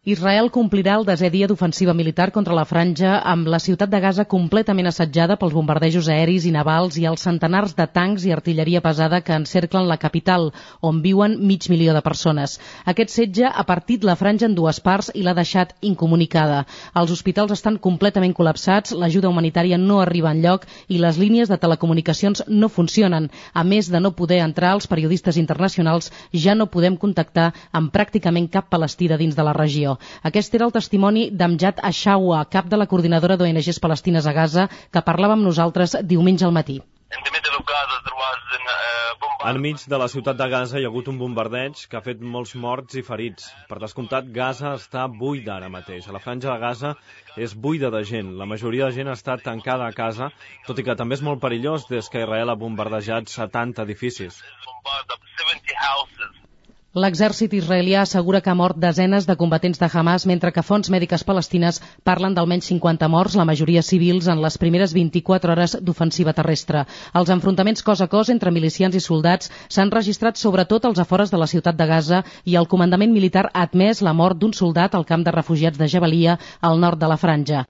Israel complirà el 10è dia d'ofensiva militar contra la franja amb la ciutat de Gaza completament assetjada pels bombardejos aeris i navals i els centenars de tancs i artilleria pesada que encerclen la capital, on viuen 500.000 de persones. Aquest setge ha partit la franja en dues parts i l'ha deixat incomunicada. Els hospitals estan completament col·lapsats, l'ajuda humanitària no arriba enlloc i les línies de telecomunicacions no funcionen. A més de no poder entrar, els periodistes internacionals ja no podem contactar amb pràcticament cap palestí de dins de la regió. Aquest era el testimoni d'Amjad Ashawa, cap de la coordinadora d'ONGs palestines a Gaza, que parlava amb nosaltres diumenge al matí. Enmig de la ciutat de Gaza hi ha hagut un bombardeig que ha fet molts morts i ferits. Per descomptat, Gaza està buida ara mateix. A la franja de Gaza és buida de gent. La majoria de gent està tancada a casa, tot i que també és molt perillós des que Israel ha bombardejat 70 edificis. L'exèrcit israelià assegura que ha mort desenes de combatents de Hamas, mentre que fonts mèdiques palestines parlen d'almenys 50 morts, la majoria civils, en les primeres 24 hores d'ofensiva terrestre. Els enfrontaments cos a cos entre milicians i soldats s'han registrat sobretot als afores de la ciutat de Gaza i el comandament militar ha admès la mort d'un soldat al camp de refugiats de Jabalia, al nord de la franja.